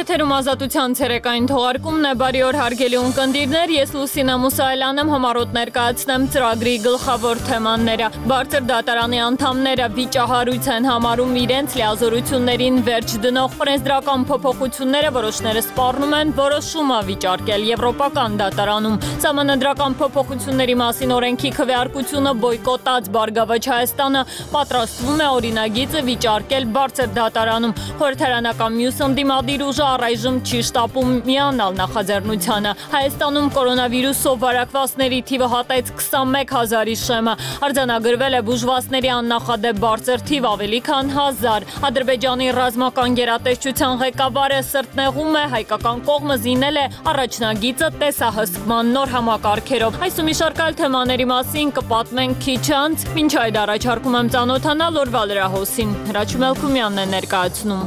Եթերում ազատության ցերեկային թողարկումն է, բարի օր հարգելի ունկնդիրներ, ես Լուսինա Մուսայելյան եմ, համառոտ ներկայացնեմ ծրագրի գլխավոր թեմաները։ Բարձր դատարանի անդամները վիճահարույց են համարում իրենց լիազորություններին վերջ դնող օրենսդրական փոփոխությունները, որոշները սպառնում են որոշումը վիճարկել Եվրոպական դատարանում։ Սահմանադրական փոփոխությունների մասին օրենքի քվեարկությունը բոյկոտած Բարգավաճ Հայաստանը պատրաստվում է օրինագիծը վիճարկել բարձր դատարանում։ Խորհրդարանական մյուս ընդդիմադիր ուժը առայժմ չի շտապում միանալ նախաձեռնությանը։ Հայաստանում կորոնավիրուսով վարակվածների թիվը հատեց 21,000-ի շեմը։ Արձանագրվել է բուժվածների աննախադեպ բարձր թիվ ավելի քան 1000։ Ադրբեջանի ռազմական գերատեսչության ղեկավարը սրտնեղում է, հայկական կողմը զինել է առաջնագիծը տեսահսկման նոր համակարգերով։ Այս ու մի շարք այլ թեմաների մասին կպատմենք քիչ անց, մինչ այդ առաջարկում եմ ծանոթանալ օրվա լրահոսին։ Հրաչ Մելքումյանն է ներկայացնում։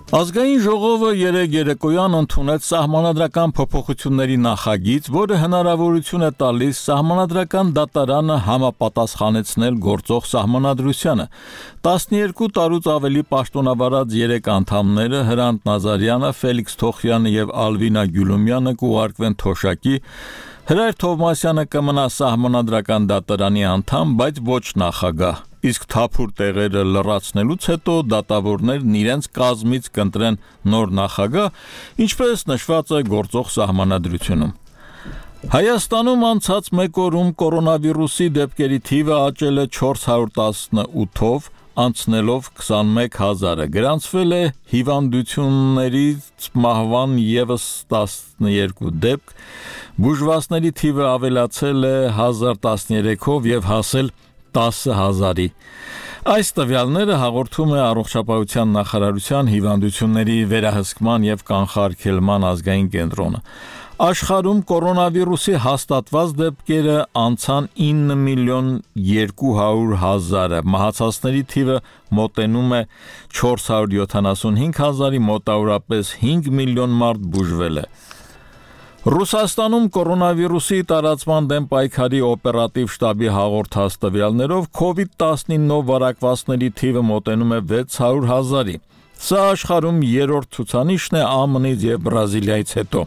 Ազգային ժողովը երեկ երեկոյան ընդունեց սահմանադրական փոփոխությունների նախագիծ, որը հնարավորություն է տալիս սահմանադրական դատարանը համապատասխանեցնել գործող սահմանադրությանը։ 12 տարուց ավելի պաշտոնավարած 3 անդամները Հրանտ Նազարյանը, Ֆելիքս Թոխյանը եւ Ալվինա Գյուլումյանը կուղարկվեն թոշակի, Հրայր Թովմասյանը կմնա սահմանադրական դատարանի անդամ, բայց ոչ նախագահ։ Իսկ թափուր տեղերը լրացնելուց հետո դատավորներն իրենց կազմից կընտրեն նոր նախագահ, ինչպես նշված է գործող սահմանադրությունում։ Հայաստանում անցած մեկ օրում կորոնավիրուսի դեպքերի թիվը աճել է 418-ով, անցնելով 21,000-ը, գրանցվել է հիվանդություններից մահվան ևս 12 դեպք, բուժվածների թիվը ավելացել է 1013-ով եւ հասել 10,000-ի։ Այս տվյալները հաղորդում է Առողջապահության նախարարության հիվանդությունների վերահսկման եւ կանխարգելման ազգային կենտրոնը։ Աշխարհում կորոնավիրուսի հաստատված դեպքերը անցան 9,200,000-ը, մահացածների թիվը մոտենում է 475,000-ի, մոտավորապես 5 միլիոն մարդ բուժվել է։ Ռուսաստանում կորոնավիրուսի տարածման դեմ պայքարի օպերատիվ շտաբի հաղորդած տվյալներով COVID-19 վարակվածների թիվը մոտենում է 600,000-ի։ Սա աշխարհում երրորդ ցուցանիշն է ԱՄՆ-ից եւ Բրազիլիայից հետո։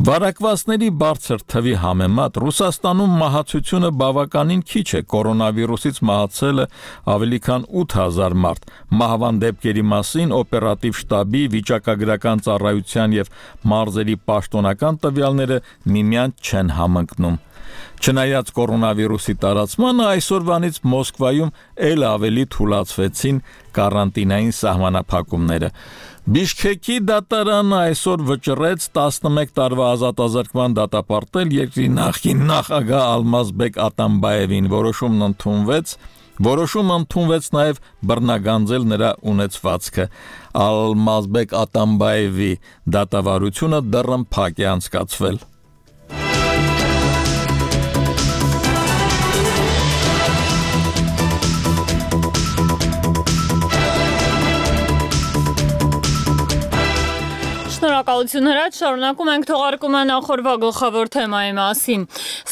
Վարակվածների բարձր թվի համեմատ Ռուսաստանում մահացությունը բավականին քիչ է, կորոնավիրուսից մահացել է ավելի քան 8,000 մարդ։ Մահվան դեպքերի մասին օպերատիվ շտաբի, վիճակագրական ծառայության եւ մարզերի պաշտոնական տվյալները միմյանց չեն համընկնում։ Չնայած կորոնավիրուսի տարածմանը, այսօրվանից Մոսկվայում ել ավելի թուլացվեցին կարանտինային սահմանափակումները։ Բիշքեկի դատարանը այսօր վճռեց 11 տարվա ազատազրկման դատապարտել երկրի նախկին նախագահ Ալմազբեկ Ատամբաևին։ Որոշումը ընդունվեց նաև բռնագանձել նրա ունեցվածքը։ Ալմազբեկ Ատամբաևի դատավարությունը դեռ փակ է անցկացվել։ Շնորհակալություն Հրաչ, շարունակում ենք թողարկումը նախորդ գլխավոր թեմայի մասին։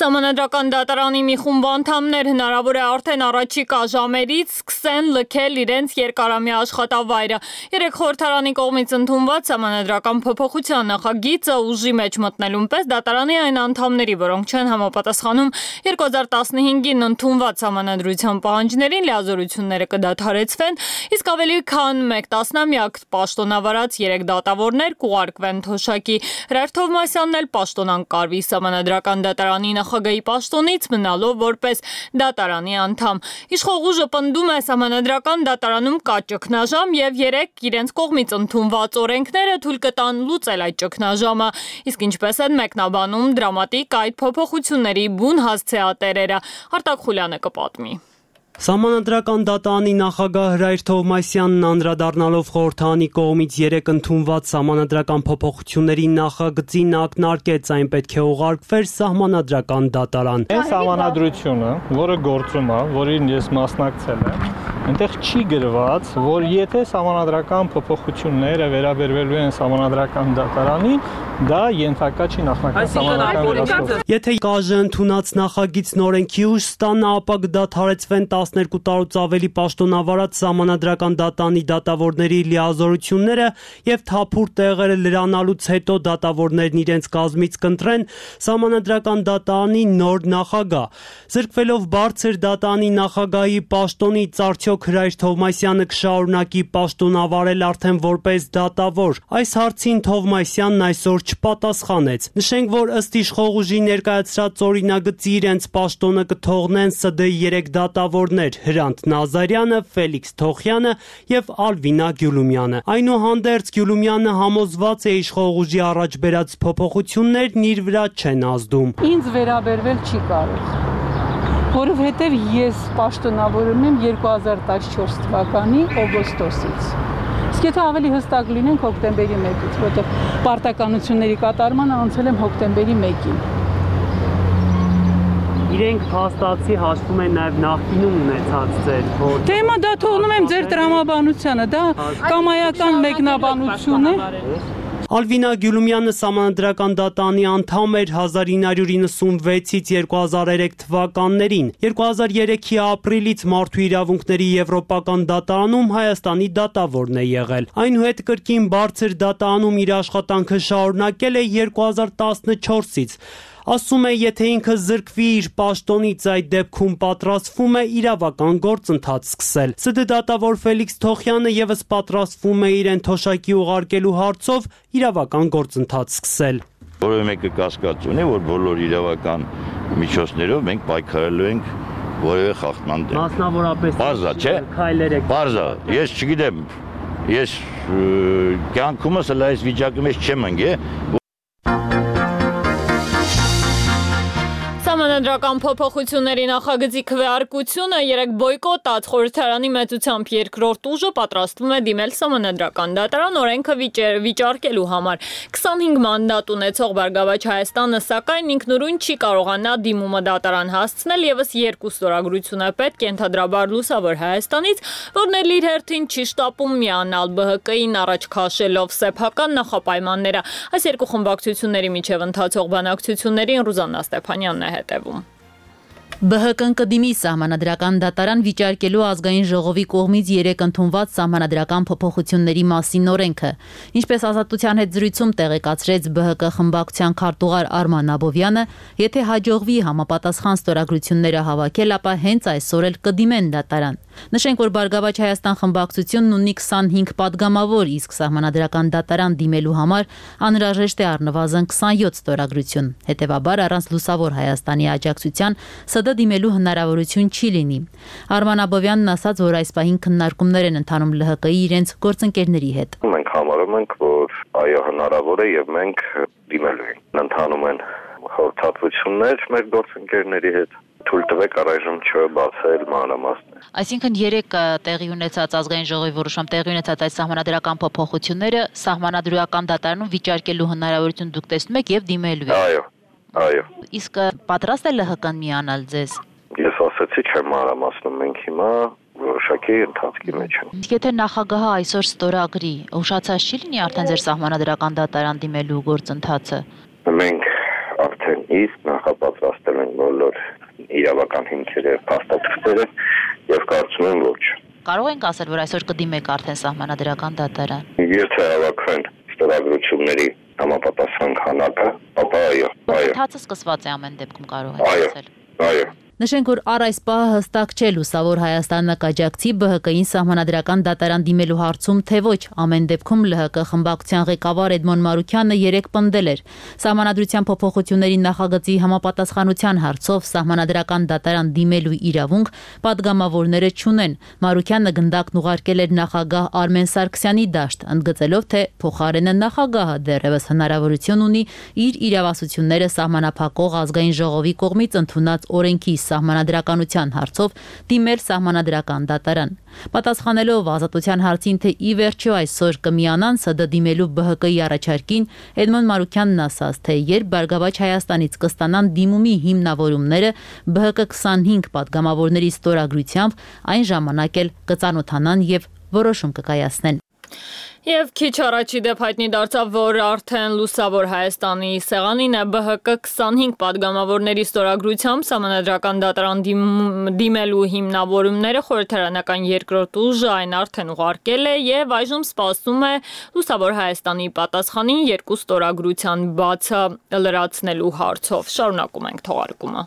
Սահմանադրական դատարանի մի խումբ անդամներ հնարավոր է արդեն առաջիկա ժամերից սկսեն լքել իրենց երկարամյա աշխատավայրը։ Երեք խորհրդարանի կողմից ընդունված սահմանադրական փոփոխության նախագիծը ուժի մեջ մտնելուն պես դատարանի այն անդամների, որոնք չեն համապատասխանում 2015-ին ընդունված սահմանադրության պահանջներին, լիազորությունները կդադարեցվեն, իսկ ավելի քան 1 տասնամյակ պաշտոնավարած 3 դատավորներ կուղարկվեն թոշակի։ Հրայր Թովմասյանն էլ պաշտոնակարգվի սահմանադրական դատարանի նախագահի պաշտոնից, մնալով որպես դատարանի անդամ։ Իշխող ուժը պնդում է սահմանադրական դատարանում կա ճգնաժամ եւ 3 իրենց կողմից ընդունված օրենքները թույլ կտան լուծել այդ ճգնաժամը։ Իսկ ինչպես են մեկնաբանում դրամատիկ այդ փոփոխությունների բուն հասցեատերերը, Արտակ Խուլյանը կպատմի։ Սահմանադրական դատարանի նախագահ Հրայր Թովմասյանն անդրադառնալով խորհրդարանի կողմից 3 ընդունված սահմանադրական փոփոխությունների նախագծին ակնարկեց, այն պետք է ուղարկվեր սահմանադրական դատարան։ Այս սահմանադրությունը, որը գործում է, որին ես մասնակցել եմ, Այնտեղ չի գրված, որ եթե սահմանադրական փոփոխությունները վերաբերվելու են սահմանադրական դատարանին, դա ենթակա չի նախնական սահմանադրական վերահսկողության։ Եթե ԿԱԺ ընդունած նախագիծ նորենքի ուժ ստանա, ապա կդադարեցվեն 12 տարուց ավելի պաշտոնավարած սահմանադրական դատարանի դատավորների լիազորությունները եւ թափուր տեղերը լրանալուց հետո դատավորներն իրենց կազմից կընտրեն սահմանադրական դատարանի նոր նախագահ։ Զրկվելով բարձր դատարանի նախագահի պաշտոնից, արդյոք Հրայր Թովմասյանը կշարունակի պաշտոնավարել արդեն որպես դատավոր։ Այս հարցին Թովմասյանն այսօր չպատասխանեց։ Նշենք, որ ըստ իշխող ուժի ներկայացրած օրինագծի իրենց պաշտոնը կթողնեն ՍԴ-ի 3 դատավորներ՝ Հրանտ Նազարյանը, Ֆելիքս Թոխյանը եւ Ալվինա Գյուլումյանը։ Այնուհանդերձ Գյուլումյանը համոզված է իշխող ուժի առաջ բերած փոփոխություններն իր վրա չեն ազդում։ Ինձ վերաբերվել չի կարող, որովհետև ես պաշտոնավորում եմ 2014 թվականի օգոստոսից։ Իսկ եթե ավելի հստակ լինենք հոկտեմբերի 1-ից, որտեղ պարտականությունների կատարմանը անցել եմ հոկտեմբերի 1-ին։ Իրենք փաստացի հաշվում են նաև նախկինում ունեցած ձեր որ Դե հիմա դա թողնում եմ ձեր տրամաբանությանը, դա կամայական մեկնաբանություն է։ Ալվինա Գյուլումյանը սահմանադրական դատարանի անդամ էր 1996-ից 2003 թվականներին։ 2003-ի ապրիլից Մարդու իրավունքների եվրոպական դատարանում Հայաստանի դատավորն է եղել։ Այնուհետ կրկին բարձր դատարանում իր աշխատանքը շարունակել է 2014-ից։ Ասում է, եթե ինքը զրկվի իր պաշտոնից, այդ դեպքում պատրաստվում է իրավական գործընթաց սկսել։ ՍԴ դատավոր Ֆելիքս Թոխյանը եւս պատրաստվում է իրեն թոշակի ուղարկելու հարցով իրավական գործընթաց սկսել։ Որևէ մեկը կասկած ունի, որ բոլոր իրավական միջոցներով մենք պայքարելու ենք որևէ խախտման դեմ։ Մասնավորապես Բարձա, չէ։ Քայլեր եք։ Բարձա, ես չգիտեմ, ես կյանքումս հələ այս վիճակի մեջ չեմ ընկել։ Սահմանադրական փոփոխությունների նախագծի քվեարկությունը երեք բոյկոտած խորհրդարանի մեծությամբ երկրորդ ուժը պատրաստվում է դիմել սահմանադրական դատարան օրենքը վիճարկելու համար։ 25 մանդատ ունեցող Բարգավաճ Հայաստանը սակայն ինքնուրույն չի կարողանա դիմումը դատարան հասցնել եւս երկու ստորագրություն է պետք ենթադրաբար Լուսավոր Հայաստանից, որն էլ իր հերթին չի շտապում միանալ ԲՀԿ-ին առաջ քաշելով սեփական նախապայմանները։ Այս երկու խմբակցությունների միջև ընթացող բանակցություններին Ռուզաննա Ստեփանյանն է հետևում։ ԲՀԿ-ն կդիմի սահմանադրական դատարան վիճարկելու ազգային ժողովի կողմից 3 ընդունված սահմանադրական փոփոխությունների մասին օրենքը։ Ինչպես Ազատության հետ զրույցում տեղեկացրեց ԲՀԿ խմբակցության քարտուղար Արման Աբովյանը, եթե հաջողվի համապատասխան ստորագրությունները հավաքել, ապա հենց այսօր էլ կդիմեն դատարան։ Նշենք, որ Բարգավաճ Հայաստան խմբակցությունն ունի 25 падգամավոր, իսկ սահմանադրական դատարան դիմելու համար անհրաժեշտ է առնվազն 27 ստորագրություն։ Հետևաբար առանց Լուսավոր Հայաստանի աջակցության ՍԴ դիմելու հնարավորություն չի լինի։ Արման Աբովյանն ասաց, որ այս պահին քննարկումներ են ընթանում ԼՀԿ-ի իրենց գործընկերների հետ։ Մենք համարում ենք, որ այո հնարավոր է եւ մենք դիմելու ենք։ Ընթանում են խորհրդատվություններ մեր գործընկերների հետ։ Թույլ տվեք առայժմ չբացել մանրամասներ։ Այսինքն 3 տեղի ունեցած ազգային ժողովի որոշում տեղի ունեցած այս սահմանադրական փոփոխությունները սահմանադրական դատարանում վիճարկելու հնարավորություն դուք տեսնում եք եւ դիմելու եք։ Այո։ Իսկ պատրաստ է ԼՀԿ-ն միանալ ձեզ։ Ես ասացի չեմ մանրամասնում, մենք հիմա որոշակի ընթացքի մեջ ենք։ Իսկ եթե նախագահը այսօր ստորագրի, ուշացած չի լինի արդեն ձեր սահմանադրական դատարան դիմելու գործընթացը։ Մենք արդեն իսկ նախապատրաստել ենք բոլոր իրավական հիմքերը եւ փաստաթղթերը եւ կարծում եմ ոչ։ Կարող ենք ասել, որ այսօր կդիմեք արդեն սահմանադրական դատարան։ Եթե հավաքվեն ստորագրությունների համապատասխան քանակը, ապա այո։ Ընթացը սկսված է ամեն դեպքում կարող եք ասել։ Այո։ Նշենք, որ առ այս պահը հստակ չէ Լուսավոր Հայաստանը կաջակցի ԲՀԿ-ին սահմանադրական դատարան դիմելու հարցում, թե ոչ։ Ամեն դեպքում ԼՀԿ խմբակցության ղեկավար Էդմոն Մարուքյանը 3 պնդել էր։ Սահմանադրության փոփոխությունների նախագծի համապատասխանության հարցով սահմանադրական դատարան դիմելու իրավունք падգամավորները չունեն։ Մարուքյանը գնդակն ուղարկել էր նախագահ Արմեն Սարգսյանի դաշտ, ընդգծելով, թե փոխարենը նախագահը դեռևս հնարավորություն ունի իր իրավասությունները սահմանափակող ազգային ժողովի կողմից ընդունած օրենքի սահմանադրականության հարցով դիմել սահմանադրական դատարան։ Պատասխանելով Ազատության հարցին, թե ի վերջո այսօր կմիանան ՍԴ դիմելու ԲՀԿ-ի առաջարկին, Էդմոն Մարուքյանն ասաց, թե երբ Բարգավաճ Հայաստանից կստանան դիմումի հիմնավորումները ԲՀԿ 25 պատգամավորների ստորագրությամբ, այն ժամանակ էլ կծանոթանան եւ որոշում կկայացնեն։ Եվ քիչ առաջ դեպ հայտնի դարձավ, որ արդեն Լուսավոր Հայաստանի սեղանին է ԲՀԿ 25 պատգամավորների ստորագրությամբ սահմանադրական դատարան դիմելու հիմնավորումները խորհրդարանական երկրորդ ուժը այն արդեն ուղարկել է եւ այժմ սպասում է Լուսավոր Հայաստանի պատասխանին երկու ստորագրության բացը լրացնելու հարցով։ Շարունակում ենք թողարկումը։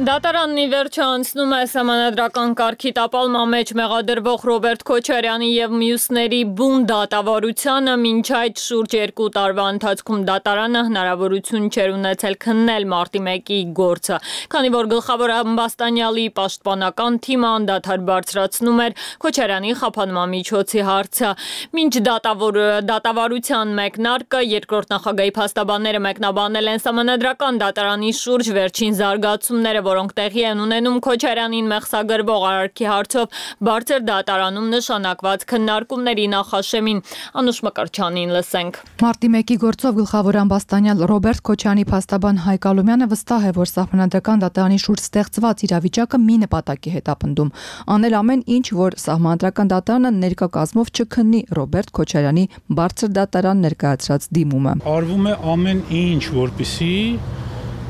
Դատարանն ի վերջո անցնում է սահմանադրական կարգի տապալման մեջ մեղադրվող Ռոբերտ Քոչարյանի եւ մյուսների բուն դատավարությանը, մինչ այդ շուրջ 2 տարվա ընթացքում դատարանը հնարավորություն չէր ունեցել քննել մարտի 1-ի գործը, քանի որ գլխավոր ամբաստանյալի պաշտպանական թիմը անդադար բարձրացնում էր Քոչարյանի խափանման միջոցի հարցը։ Մինչ դատավարության մեկնարկը երկրորդ նախագահի փաստաբանները մեկնաբանել են սահմանադրական դատարանի շուրջ վերջին զարգացումները, որոնք տեղի են ունենում Քոչարյանին մեղսագրվող արարքի հարցով բարձր դատարանում նշանակված քննարկումների նախաշեմին։ Անուշ Մկրտչյանին լսենք։ Մարտի 1-ի գործով գլխավոր ամբաստանյալ Ռոբերտ Քոչարյանի փաստաբան Հայկ Ալոմյանը վստահ է, որ սահմանադրական դատարանի շուրջ ստեղծված իրավիճակը մի նպատակի հետ ապնդում՝ անել ամեն ինչ, որ սահմանադրական դատարանը ներկա կազմով չքննի Ռոբերտ Քոչարյանի բարձր դատարան ներկայացրած դիմումը։ Արվում է ամեն ինչ, որպեսզի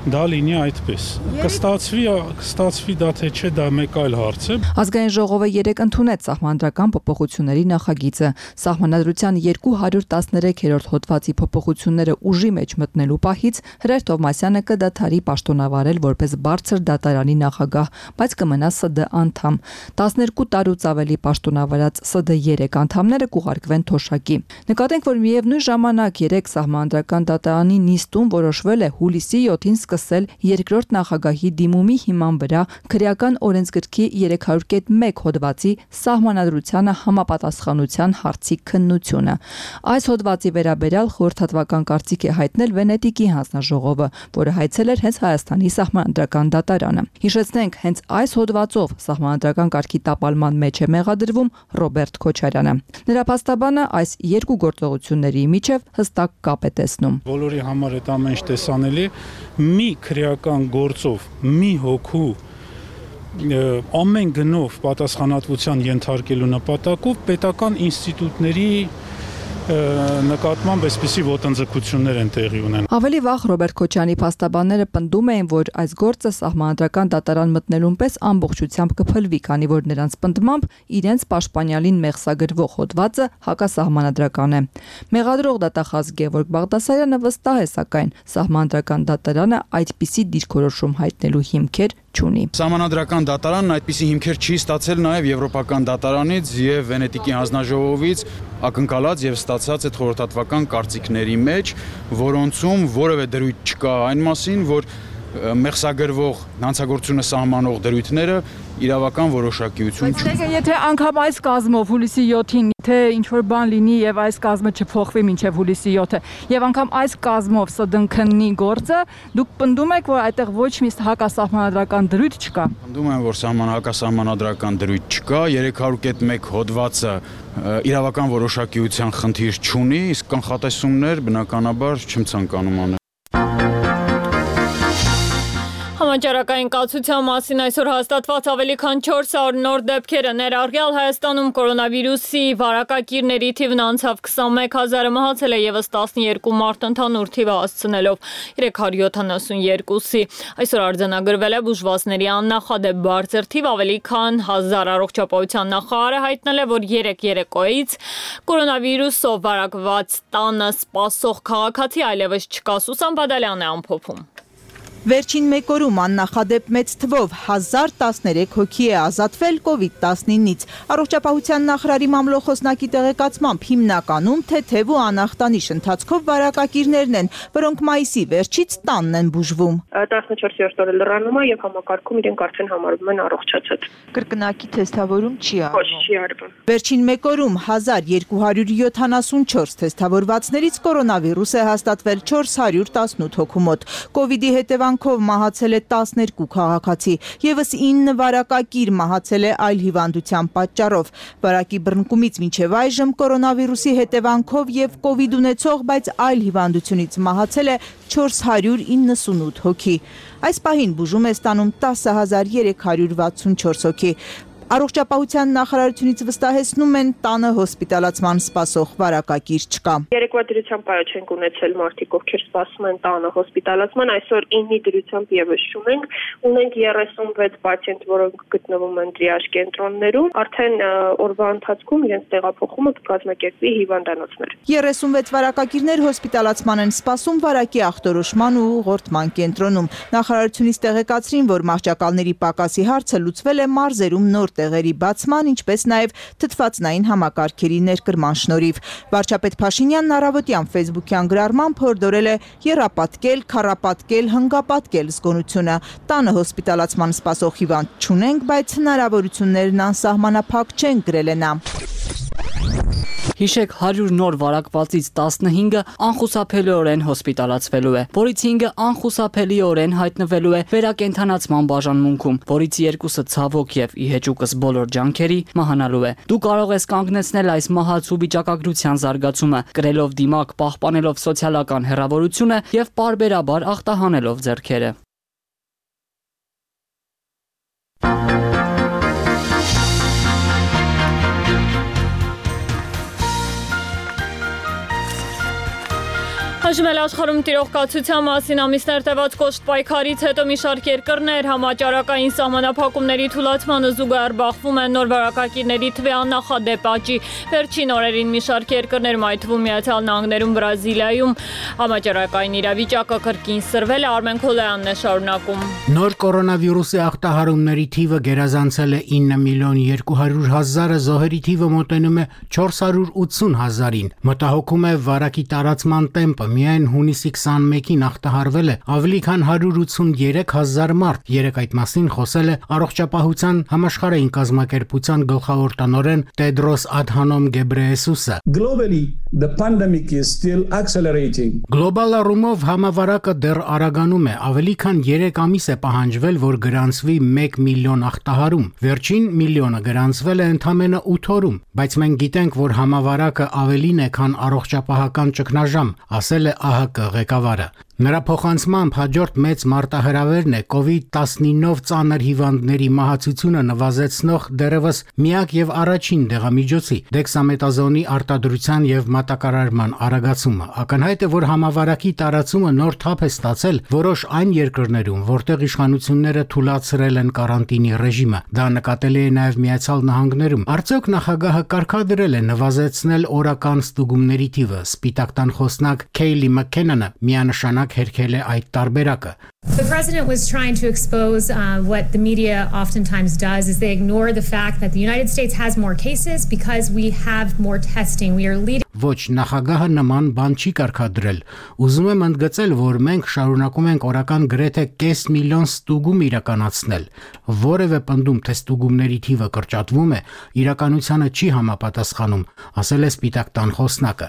դա լինի այդպես։ Կստացվի դա թե չէ, դա մեկ այլ հարց է։ Ազգային ժողովը 3 ընդունեց սահմանադրական փոփոխությունների նախագիծը։ Սահմանադրության 213-րդ հոդվածի փոփոխությունները ուժի մեջ մտնելու պահից Հրեր Թովմասյանը կդադարի պաշտոնավարել որպես բարձր դատարանի նախագահ, բայց կմնա ՍԴ անդամ։ 12 տարուց ավելի պաշտոնավարած ՍԴ 3 անդամները կուղարկվեն թոշակի։ Նկատենք, որ միևնույն ժամանակ 3 սահմանադրական դատարանի նիստում որոշվել է հուլիսի 7-ին սկսել երկրորդ նախագահի դիմումի հիման վրա քրեական օրենսգրքի 301 հոդվածի սահմանադրությանը համապատասխանության հարցի քննությունը։ Այս հոդվածի վերաբերյալ խորհրդատվական կարծիք է հայտնել Վենետիկի հանձնաժողովը, որը հայցել էր հենց Հայաստանի սահմանադրական դատարանը։ Հիշեցնենք, հենց այս հոդվածով սահմանադրական կարգի տապալման մեջ է մեղադրվում Ռոբերտ Քոչարյանը։ Նրա փաստաբանը այս երկու գործողությունների միջև հստակ կապ է տեսնում։ Բոլորի համար այդ ամեն ինչ տեսանելի մի քրեական գործով մի հոգու ամեն գնով պատասխանատվության ենթարկելու նպատակով պետական ինստիտուտների նկատմամբ այսպիսի ոտնձգություններ են տեղի ունեն։ Ավելի վաղ Ռոբերտ Քոչարյանի փաստաբանները պնդում էին, որ այս գործը սահմանադրական դատարան մտնելուն պես ամբողջությամբ կփլվի, քանի որ նրանց պնդմամբ իրենց պաշտպանյալին մեղսագրվող հոդվածը հակասահմանադրական է։ Մեղադրող դատախազ Գևորգ Բաղդասարյանը վստահ է, սակայն սահմանադրական դատարանը այդպիսի դիրքորոշում հայտնելու հիմքեր չունի։ Սահմանադրական դատարանն այդպիսի հիմքեր չի ստացել նաև Եվրոպական դատարանից եւ Վենետիկի հանձնաժողովից ակնկալած եւ ստացած այդ խորհրդատվական կարծիքների մեջ, որոնցում որևէ դրույթ չկա այն մասին, որ մեղսագրվող հանցագործությունը սահմանող դրույթները իրավական որոշակիություն չունեն։ Բայց եթե անգամ այս կազմով հուլիսի 7-ին թե ինչ որ բան լինի եւ այս կազմը չփոխվի մինչեւ հուլիսի 7-ը եւ անգամ այս կազմով ՍԴ-ն քննի գործը, դուք պնդում եք, որ այդտեղ ոչ մի հակասահմանադրական դրույթ չկա։ Պնդում եմ, որ հակասահմանադրական դրույթ չկա, 301 հոդվածը իրավական որոշակիության խնդիր չունի, իսկ կանխատեսումներ բնականաբար չեմ ցանկանում անել։ Համաճարակային կացության մասին այսօր հաստատված ավելի քան 400 նոր դեպքերը ներառյալ Հայաստանում կորոնավիրուսի վարակակիրների թիվն անցավ 21000-ը, մահացել է եւս 12 մարդ, ընդհանուր թիվը հասցնելով 372-ի։ Այսօր արձանագրվել է բուժվածների աննախադեպ բարձր թիվ, ավելի քան 1000 առողջապահության նախարարը հայտնել է, որ 3 երեկոյից կորոնավիրուսով վարակված տանը սպասող քաղաքացի այլևս չկա։ Սուսան Բադալյանն է ամփոփում։ Վերջին մեկ օրում աննախադեպ մեծ թվով 1013 հոգի է ազատվել COVID-19-ից։ Առողջապահության նախարարի մամլոխոսնակի տեղեկացմամբ հիմնականում թեթև ու անախտանիշ ընթացքով վարակակիրներն են, որոնք մայիսի վերջից տանն են բուժվում։ 14-րդ օրը լրանում է եւ համակարգում իրենք արդեն համարվում են առողջացած։ Կրկնակի թեստավորում չի արվում։ Ոչ, չի արվում։ Վերջին մեկ օրում 1274 թեստավորվածներից կորոնավիրուս է հաստատվել 418 հոգու մոտ։ Կովիդի հետևանքով մահացել է 12 քաղաքացի, եւս 9 վարակակիր մահացել է այլ հիվանդության պատճառով։ Վարակի բռնկումից մինչև այժմ կորոնավիրուսի հետևանքով եւ կովիդ ունեցող, բայց այլ հիվանդությունից մահացել է 498 հոգի։ Այս պահին բուժում է ստանում 10364 հոգի։ Առողջապահության նախարարությունից վստահեցնում են տանը հոսպիտալացման սպասող վարակակիր չկա։ Երեկվա դրությամբ այո չենք ունեցել մարդիկ, ովքեր սպասում են տանը հոսպիտալացման, այսօր 9-ի դրությամբ եւս չունենք, ունենք 36 պացիենտ, որոնք գտնվում են տրիաժ կենտրոններում, արդեն օրվա ընթացքում իրենց տեղափոխումը կկազմակերպվի հիվանդանոցներ։ 36 վարակակիրներ հոսպիտալացման են սպասում վարակի ախտորոշման ու ուղղորդման կենտրոնում։ Նախարարությունից տեղեկացրին, որ մահճակալների պակասի հարցը լուծվել է մարզերում նոր տեղերի բացման, ինչպես նաև թթվածնային համակարգերի ներկրման շնորհիվ։ Վարչապետ Փաշինյանն առավոտյան Facebook-յան գրառմամբ հորդորել է եռապատկել, քառապատկել, հնգապատկել զգոնությունը։ Տանը հոսպիտալացման սպասող հիվանդ չունենք, բայց հնարավորություններն անսահմանափակ չեն, գրել է նա։ Հիշեք 100 նոր վարակվածից 15-ը անխուսափելիորեն հոսպիտալացվելու է, որից 5-ը անխուսափելիորեն հայտնվելու է վերակենդանացման բաժանմունքում, որից 2-ը ցավոք եւ ի հեճուկս բոլոր ջանքերի մահանալու է։ Դու կարող ես կանգնեցնել այս մահացու վիճակագրության զարգացումը, կրելով դիմակ, պահպանելով սոցիալական հեռավորությունը եւ պարբերաբար ախտահանելով ձեռքերը։ Հաշվում էլ աշխարհում տիրող կացության մասին ամիսներ տևած կոշտ պայքարից հետո մի շարք երկրներ համաճարակային սահմանափակումների թուլացմանը զուգահեռ բախվում են նոր վարակակիրների թվի աննախադեպ աճի։ Վերջին օրերին մի շարք երկրներում, այդ թվում Միացյալ Նահանգներում, Բրազիլիայում համաճարակային իրավիճակը կրկին սրվել է։ Արմեն Քոլոյանն է շարունակում։ Նոր կորոնավիրուսի ախտահարումների թիվը գերազանցել է 9.200.000-ը, զոհերի թիվը մոտենում է 480,000-ին։ Մտահոգում է վարակի տարածման տեմպը։ Միայն հունիսի 21-ին ախտահարվել է ավելի քան 183,000 մարդ։ Երեկ այդ մասին խոսել է Առողջապահության համաշխարհային կազմակերպության գլխավոր տնօրեն Տեդրոս Ադհանոմ Գեբրեյեսուսը։ Գլոբալ առումով համավարակը դեռ արագանում է, ավելի քան 3 ամիս է պահանջվել, որ գրանցվի 1 միլիոն ախտահարում։ Վերջին միլիոնը գրանցվել է ընդամենը 8 օրում, բայց մենք գիտենք, որ համավարակը ավելին է, քան առողջապահական ճգնաժամ, ասել է ԱՀԿ ղեկավարը։ Նրա փոխանցմամբ հաջորդ մեծ մարտահրավերն է COVID-19-ով ծանր հիվանդների մահացությունը նվազեցնող դեռևս միակ եւ առաջին դեղամիջոցի դեքսամետազոնի արտադրության եւ մատակարարման արագացումը։ Ակնհայտ է, որ համավարակի տարածումը նոր թափ է ստացել որոշ այն երկրներում, որտեղ իշխանությունները թույլատրել են կարանտինի ռեժիմը։ Դա նկատելի է նաեւ Միացյալ Նահանգներում։ Արդյոք նախագահը կարգադրել է նվազեցնել օրական ստուգումների թիվը։ Սպիտակ տան խոսնակ Քեյլի Մաքքենանը միանշանակ հերքել է այդ տարբերակը։ The president was trying to expose what the media oftentimes does is they ignore the fact that the United States has more cases because we have more testing. We are leading. Ոչ, նախագահը նման բան չի կարգադրել։ Ուզում եմ ընդգծել, որ մենք շարունակում ենք օրական գրեթե 500,000 ստուգում իրականացնել։ Որևէ պնդում, թե ստուգումների թիվը կրճատվում է, իրականությանը չի համապատասխանում, ասել է Սպիտակ տան խոսնակը։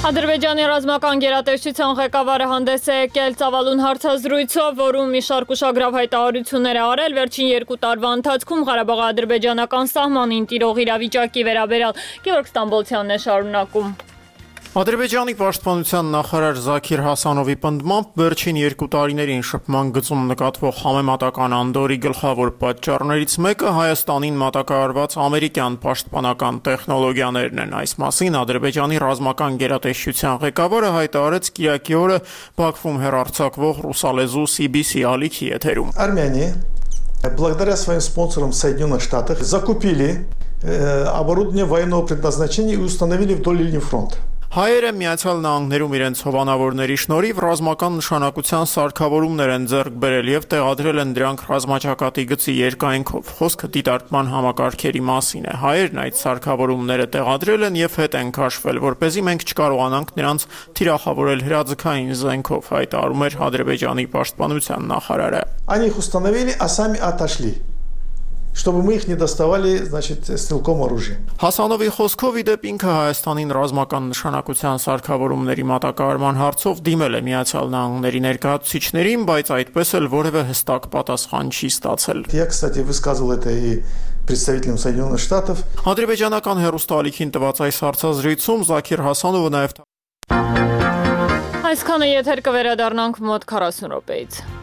Ադրբեջանի ռազմական գերատեսչության ղեկավարը հանդես է եկել ծավալուն հարցազրույցով, որում մի շարք ուշագրավ հայտարարություններ է արել վերջին 2 տարվա ընթացքում Ղարաբաղի ադրբեջանական սահմանին տիրող իրավիճակի վերաբերյալ։ Գևորգ Ստամբոլցյանն է շարունակում։ Ադրբեջանի պաշտպանության նախարար Զաքիր Հասանովի պնդմամբ վերջին 2 տարիներին շփման գծում նկատվող համեմատական անդորի գլխավոր պատճառներից մեկը Հայաստանին մատակարարված ամերիկյան պաշտպանական տեխնոլոգիաներն են։ Այս մասին Ադրբեջանի ռազմական գերատեսչության ղեկավարը հայտարարեց կիրակի օրը Բաքվում հեռարձակվող ռուսալեզու CBC ալիքի եթերում։ Армяне, благодаря своим спонсорам Соединенных Штатов, закупили оборудование военного предназначения и установили вдоль линии фронта. Հայերը Միացյալ Նահանգներում իրենց հովանավորների շնորհիվ ռազմական նշանակության սարքավորումներ են ձեռք բերել եւ տեղադրել են դրանք ռազմաճակատի գծի երկայնքով։ Խոսքը դիտարկման համակարգերի մասին է։ Հայերն այդ սարքավորումները տեղադրել են եւ հետ են քաշվել, որպեսզի մենք չկարողանանք նրանց թիրախավորել հրաձգային զենքով, հայտարարում էր Ադրբեջանի պաշտպանության նախարարը։ Они их установили, а сами отошли. Чтобы мы их не доставали, значит, стрелком оружием. Հասանովի խոսքով իդեպ ինքը Հայաստանին ռազմական նշանակության սարքավորումների մատակարարման հարցով դիմել է Միացյալ Նահանգների ներկայացուցիչներին, բայց այդպես էլ որևէ հստակ պատասխան չի ստացել։ Я, кстати, высказывал это и представителям Соединенных Штатов. Ադրբեջանական հեռուստաալիքին տված այս հարցազրույցում Զաքիր Հասանովը նաև Այսքանը եթեր կվերադառնանք մոտ 40 րոպեից։